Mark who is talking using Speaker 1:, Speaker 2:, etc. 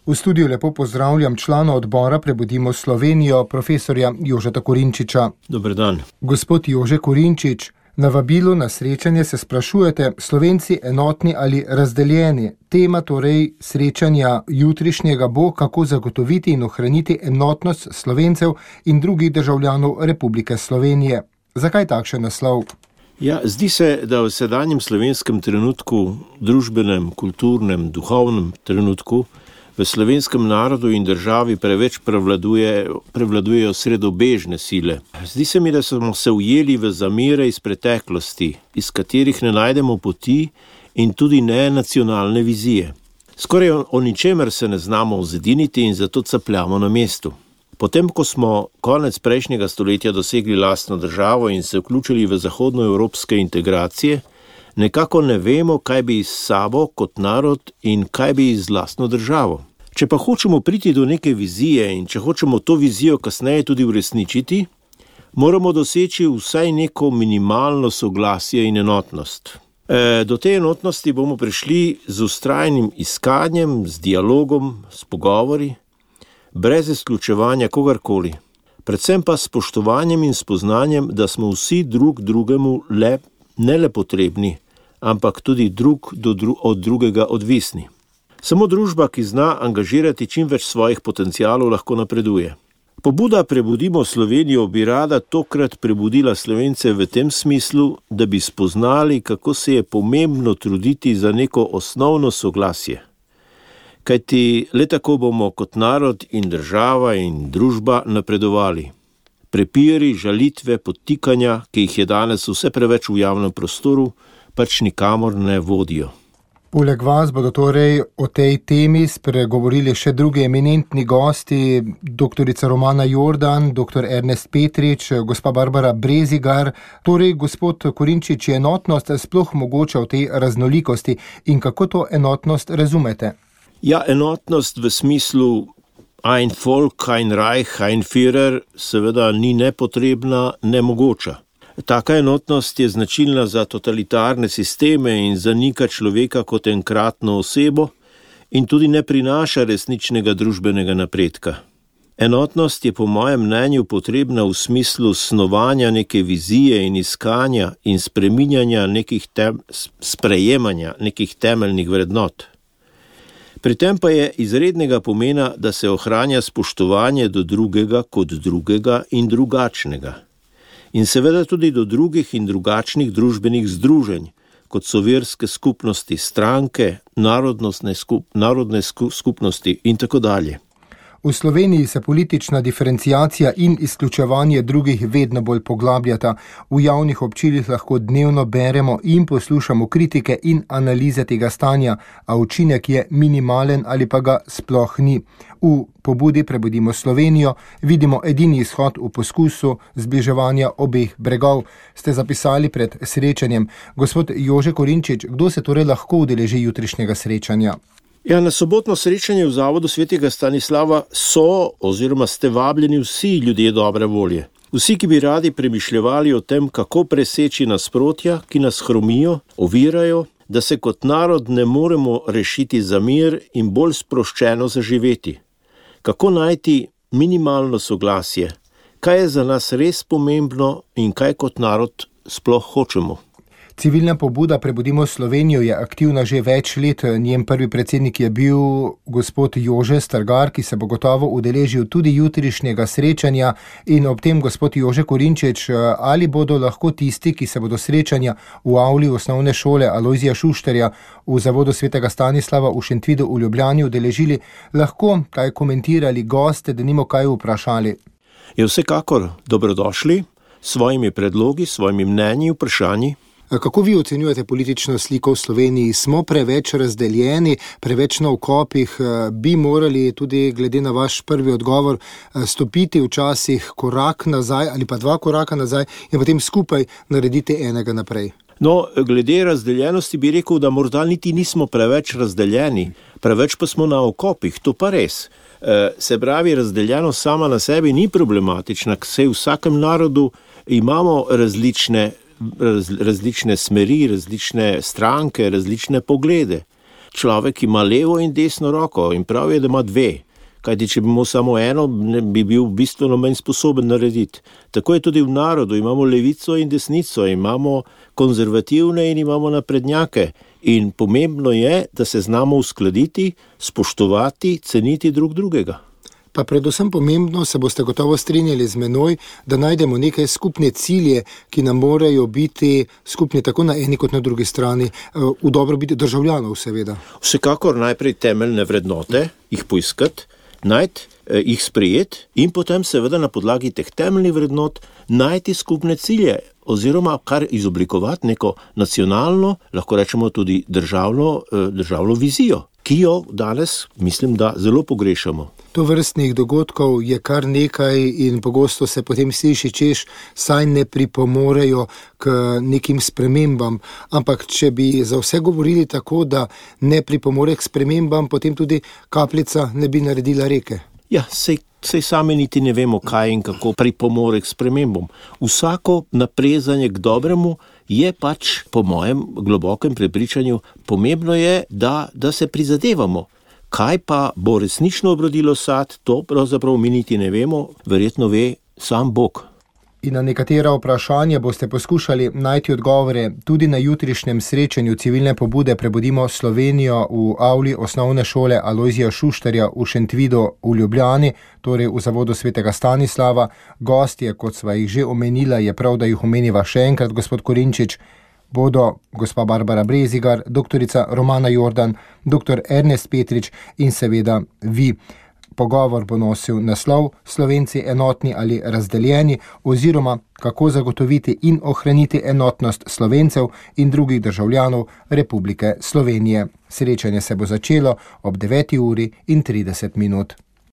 Speaker 1: V studiu lepo pozdravljam člana odbora Prebudimo Slovenijo, profesorja Jožeta Korinčiča.
Speaker 2: Dober dan.
Speaker 1: Gospod Jože Korinčič, na vabilu na srečanje se sprašujete, Slovenci enotni ali razdeljeni? Tema torej srečanja jutrišnjega bo, kako zagotoviti in ohraniti enotnost Slovencev in drugih državljanov Republike Slovenije. Zakaj takšen naslov?
Speaker 2: Ja, zdi se, da v sedanjem slovenskem trenutku, družbenem, kulturnem, duhovnem trenutku, v slovenskem narodu in državi preveč prevladujejo sredobežne sile. Zdi se mi, da smo se ujeli v zamere iz preteklosti, iz katerih ne najdemo poti in tudi ne nacionalne vizije. Skoraj o ničemer se ne znamo zediniti in zato capljamo na mestu. Potem, ko smo konec prejšnjega stoletja dosegli lastno državo in se vključili v zahodnoevropske integracije, nekako ne vemo, kaj bi s sabo kot narod in kaj bi z lastno državo. Če pa hočemo priti do neke vizije in če hočemo to vizijo kasneje tudi uresničiti, moramo doseči vsaj neko minimalno soglasje in enotnost. Do te enotnosti bomo prišli z vztrajnim iskanjem, z dialogom, s pogovori, brez izključevanja kogarkoli. Predvsem pa s spoštovanjem in spoznanjem, da smo vsi drug drugemu ne le potrebni, ampak tudi drug od drugega odvisni. Samo družba, ki zna angažirati čim več svojih potencialov, lahko napreduje. Pobuda Prebudimo Slovenijo bi rada tokrat prebudila Slovence v tem smislu, da bi spoznali, kako se je pomembno truditi za neko osnovno soglasje. Kajti le tako bomo kot narod in država in družba napredovali. Prepiri, žalitve, podtikanja, ki jih je danes vse preveč v javnem prostoru, pač nikamor ne vodijo.
Speaker 1: Poleg vas bodo torej o tej temi spregovorili še drugi eminentni gosti, doktorica Romana Jordan, doktor Ernest Petrič, gospa Barbara Brezigar. Torej, gospod Korinčič, je enotnost sploh mogoča v tej raznolikosti in kako to enotnost razumete?
Speaker 2: Ja, enotnost v smislu ein Volk, ein Reich, ein Führer seveda ni nepotrebna, nemogoča. Taka enotnost je značilna za totalitarne sisteme in zanika človeka kot enkratno osebo in tudi ne prinaša resničnega družbenega napredka. Enotnost je po mojem mnenju potrebna v smislu snovanja neke vizije in iskanja in sprejemanja nekih temeljnih vrednot. Pri tem pa je izrednega pomena, da se ohranja spoštovanje do drugega kot drugega in drugačnega. In seveda tudi do drugih in drugačnih družbenih združenj, kot so verske skupnosti, stranke, narodne skupnosti in tako dalje.
Speaker 1: V Sloveniji se politična diferenciacija in izključevanje drugih vedno bolj poglabljata. V javnih občilih lahko dnevno beremo in poslušamo kritike in analize tega stanja, a učinek je minimalen ali pa ga sploh ni. V pobudi Prebudimo Slovenijo vidimo edini izhod v poskusu zbliževanja obeh bregov. Ste zapisali pred srečanjem. Gospod Jože Korinčič, kdo se torej lahko udeleži jutrišnjega srečanja?
Speaker 2: Ja, na sobotno srečanje v Zavodu svetega Stanislava ste vabljeni vsi ljudje dobre volje. Vsi, ki bi radi premišljevali o tem, kako preseči nasprotja, ki nas hromijo, ovirajo, da se kot narod ne moremo rešiti za mir in bolj sproščeno zaživeti. Kako najti minimalno soglasje, kaj je za nas res pomembno in kaj kot narod sploh hočemo.
Speaker 1: Civilna pobuda Prebudimo Slovenijo je aktivna že več let. Njen prvi predsednik je bil gospod Jože Strgar, ki se bo gotovo udeležil tudi jutrišnjega srečanja. In ob tem, gospod Jože Korinčič, ali bodo lahko tisti, ki se bodo srečanja v avli osnovne šole Alojzija Šuštarja v Zavodu svetega Stanislava v Šentvidu v Ljubljani udeležili, lahko kaj komentirali goste, denimo kaj vprašali?
Speaker 2: Je vsekakor dobrodošli s svojimi predlogi, svojimi mnenji, vprašanji.
Speaker 1: Kako vi ocenjujete politično sliko v Sloveniji? Smo preveč razdeljeni, preveč na okopih? Bi morali tudi glede na vaš prvi odgovor stopiti včasih korak nazaj ali pa 2 koraka nazaj in potem skupaj narediti enega naprej?
Speaker 2: No, glede razdeljenosti bi rekel, da morda niti nismo preveč razdeljeni, preveč pa smo na okopih, to pa res. Se pravi, razdeljenost sama na sebi ni problematična, saj v vsakem narodu imamo različne smeri, različne stranke, različne poglede. človek ima levo in desno roko in prav je, da ima dve. Kajti, če bi imel samo eno, bi bil bistveno manj sposoben narediti. Tako je tudi v narodu, imamo levico in desnico, imamo konzervativne in imamo naprednjake. In pomembno je, da se znamo uskladiti, spoštovati, ceniti drug drugega.
Speaker 1: Pa predvsem pomembno, se boste gotovo strinjali z menoj, da najdemo neke skupne cilje, ki nam morajo biti skupni tako na eni kot na drugi strani, v dobrobit državljanov seveda.
Speaker 2: Vsekakor najprej temeljne vrednote, jih poiskati, najti, jih sprejeti in potem seveda na podlagi teh temeljnih vrednot najti skupne cilje oziroma kar izoblikovati neko nacionalno, lahko rečemo tudi državno vizijo, ki jo danes, mislim, da zelo pogrešamo.
Speaker 1: Tovrstnih dogodkov je kar nekaj in pogosto se potem sliši, češ, saj ne pripomorejo k nekim spremembam, ampak če bi za vse govorili tako, da ne pripomore k spremembam, potem tudi kapljica ne bi naredila reke.
Speaker 2: Ja, sej sami niti ne vemo, kaj in kako pripomore k spremembam. Vsako naprezanje k dobremu je pač, po mojem globokem prepričanju, pomembno je, da se prizadevamo. Kaj pa bo resnično obrodilo sad, to pravzaprav mi niti ne vemo, verjetno ve sam Bog.
Speaker 1: In na nekatera vprašanja boste poskušali najti odgovore tudi na jutrišnjem srečanju civilne pobude Prebudimo Slovenijo v avli osnovne šole Alojzija Šuštarja v Šentvidu v Ljubljani, torej v zavodu svetega Stanislava. Gostje, kot sva jih že omenila, je prav, da jih omeniva še enkrat, gospod Korinčič, bodo gospa Barbara Brezigar, doktorica Romana Jordan, doktor Ernest Petrič in seveda vi. Pogovor bo nosil naslov Slovenci enotni ali razdeljeni oziroma kako zagotoviti in ohraniti enotnost Slovencev in drugih državljanov Republike Slovenije. Srečanje se bo začelo ob 9:30.